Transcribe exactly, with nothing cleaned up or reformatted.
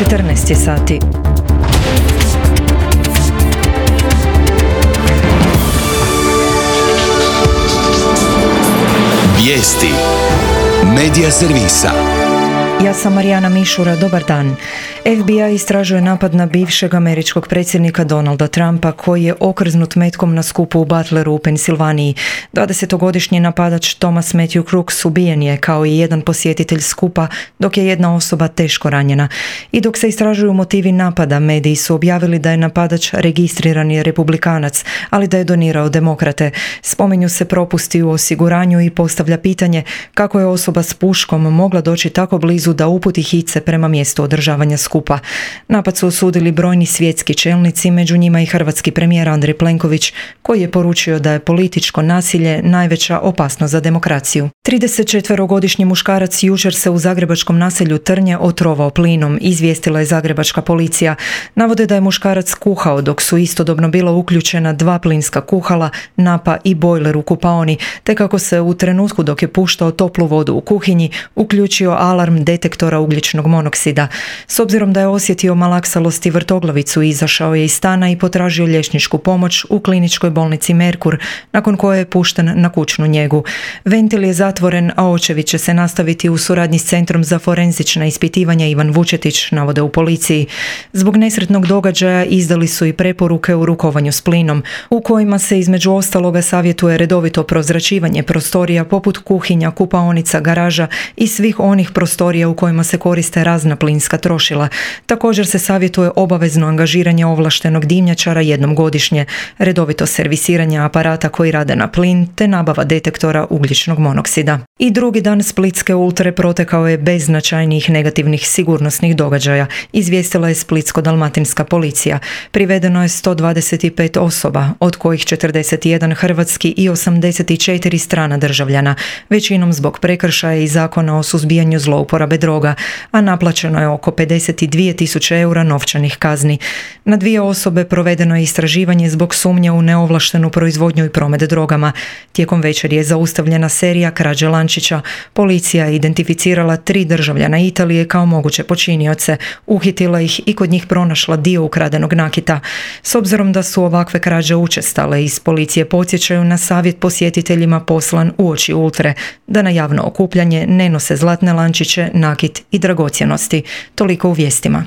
četrnaest je sati. Vijesti Medija servisa. Ja sam Marijana Mišura, dobar dan. F B I istražuje napad na bivšeg američkog predsjednika Donalda Trumpa koji je okrznut metkom na skupu u Butleru u Pensilvaniji. dvadesetogodišnji napadač Thomas Matthew Crooks ubijen je kao i jedan posjetitelj skupa, dok je jedna osoba teško ranjena. I dok se istražuju motivi napada, mediji su objavili da je napadač registrirani republikanac, ali da je donirao demokrate. Spominju se propusti u osiguranju i postavlja pitanje kako je osoba s puškom mogla doći tako blizu da uputi hice prema mjestu održavanja skupa. Napad su osudili brojni svjetski čelnici, među njima i hrvatski premijer Andrej Plenković, koji je poručio da je političko nasilje najveća opasnost za demokraciju. tridesetčetverogodišnji muškarac jučer se u zagrebačkom naselju Trnje otrovao plinom, izvijestila je zagrebačka policija. Navode da je muškarac kuhao dok su istodobno bila uključena dva plinska kuhala, napa i bojler u kupaoni, te kako se u trenutku dok je puštao toplu vodu u kuhinji uključio alarm detektora ugljičnog monoksida. S obzirom da je osjetio malaksalost i vrtoglavicu, izašao je iz stana i potražio liječničku pomoć u kliničkoj bolnici Merkur, nakon koje je pušten na kućnu njegu. Ventil je zatvoren, a očevid će se nastaviti u suradnji s Centrom za forenzična ispitivanja Ivan Vučetić, navode u policiji. Zbog nesretnog događaja izdali su i preporuke u rukovanju s plinom, u kojima se između ostaloga savjetuje redovito prozračivanje prostorija poput kuhinja, kupaonica, garaža i svih onih prostorija u kojima se koriste razna plinska trošila. Također se savjetuje obavezno angažiranje ovlaštenog dimnjačara jednom godišnje, redovito servisiranje aparata koji rade na plin te nabava detektora ugljičnog monoksida. I drugi dan Splitske ultre protekao je bez značajnijih negativnih sigurnosnih događaja, izvijestila je splitsko-dalmatinska policija. Privedeno je sto dvadeset pet osoba, od kojih četrdeset jedan hrvatski i osamdeset četiri strana državljana, većinom zbog prekršaja i zakona o suzbijanju zlouporabe droga, a naplaćeno je oko pedeset dvije tisuće eura novčanih kazni. Na dvije osobe provedeno je istraživanje zbog sumnje u neovlaštenu proizvodnju i promet drogama. Tijekom večeri je zaustavljena serija krađe lančića. Policija je identificirala tri državljana Italije kao moguće počinioce, uhitila ih i kod njih pronašla dio ukradenog nakita. S obzirom da su ovakve krađe učestale, iz policije podsjećaju na savjet posjetiteljima poslan uoči ultre, da na javno okupljanje ne nose zlatne lančiće, nakit i dragocjenosti. Toliko u vijestima.